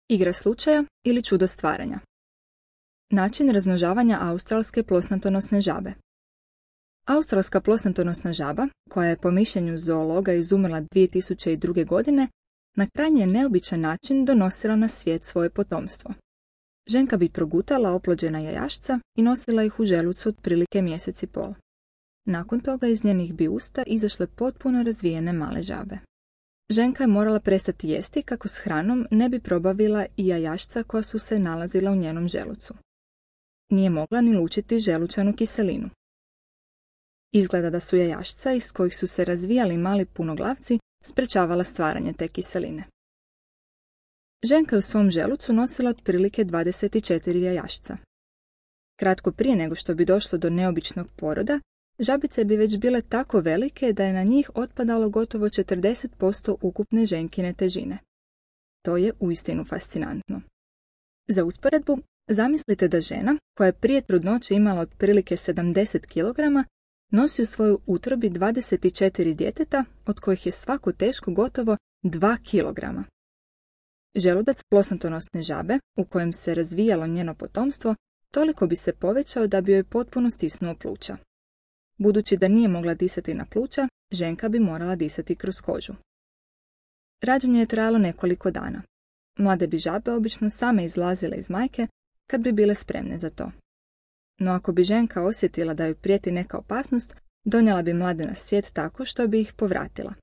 Igra slučaja ili čudo stvaranja. Način razmnožavanja australske plosnatonosne žabe. Australska plosnatonosna žaba, koja je po mišljenju zoologa izumrla 2002. godine, na krajnje neobičan način donosila na svijet svoje potomstvo. Ženka bi progutala oplođena jajašca i nosila ih u želucu otprilike mjesec i pol. Nakon toga iz njenih bi usta izašle potpuno razvijene male žabe. Ženka je morala prestati jesti kako s hranom ne bi probavila i jajašca koja su se nalazila u njenom želucu. Nije mogla ni lučiti želučanu kiselinu. Izgleda da su jajašca iz kojih su se razvijali mali punoglavci sprečavala stvaranje te kiseline. Ženka je u svom želucu nosila otprilike 24 jajašca. Kratko prije nego što bi došlo do neobičnog poroda, žabice bi već bile tako velike da je na njih otpadalo gotovo 40% ukupne ženkine težine. To je uistinu fascinantno. Za usporedbu, zamislite da žena, koja je prije trudnoće imala otprilike 70 kg, nosi u svojoj utrobi 24 djeteta, od kojih je svako teško gotovo 2 kg. Želudac plosnatonosne žabe, u kojem se razvijalo njeno potomstvo, toliko bi se povećao da bi joj potpuno stisnuo pluća. Budući da nije mogla disati na pluća, ženka bi morala disati kroz kožu. Rađanje je trajalo nekoliko dana. Mlade bi žabe obično same izlazile iz majke kad bi bile spremne za to. No ako bi ženka osjetila da joj prijeti neka opasnost, donijela bi mlade na svijet tako što bi ih povratila.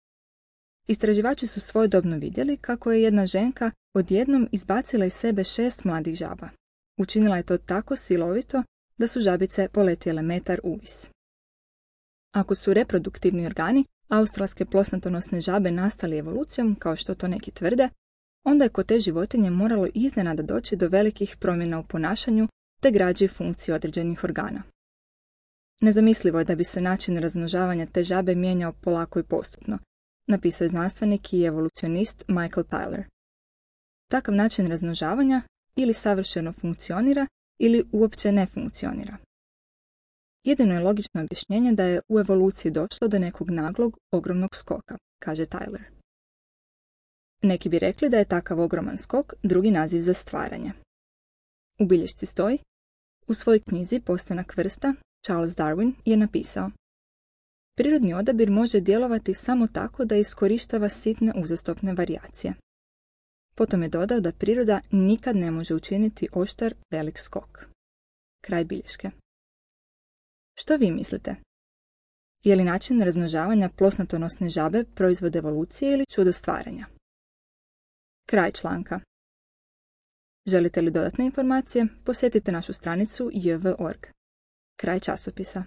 Istraživači su svojedobno vidjeli kako je jedna ženka odjednom izbacila iz sebe 6 mladih žaba. Učinila je to tako silovito da su žabice poletjele metar uvis. Ako su reproduktivni organi australske plosnatonosne žabe nastali evolucijom, kao što to neki tvrde, onda je kod te životinje moralo iznenada doći do velikih promjena u ponašanju te građi funkciji određenih organa. Nezamislivo je da bi se način razmnožavanja te žabe mijenjao polako i postupno, napisao je znanstvenik i evolucionist Michael Tyler. Takav način razmnožavanja ili savršeno funkcionira ili uopće ne funkcionira. Jedino je logično objašnjenje da je u evoluciji došlo do nekog naglog, ogromnog skoka, kaže Tyler. Neki bi rekli da je takav ogroman skok drugi naziv za stvaranje. U bilješci stoji: u svojoj knjizi Postanak vrsta Charles Darwin je napisao: prirodni odabir može djelovati samo tako da iskorištava sitne uzastopne varijacije. Potom je dodao da priroda nikad ne može učiniti oštar velik skok. Kraj bilješke. Što vi mislite? Je li način razmnožavanja plosnatonosne žabe proizvod evolucije ili čudo stvaranja? Kraj članka. Želite li dodatne informacije? Posjetite našu stranicu jv.org. Kraj časopisa.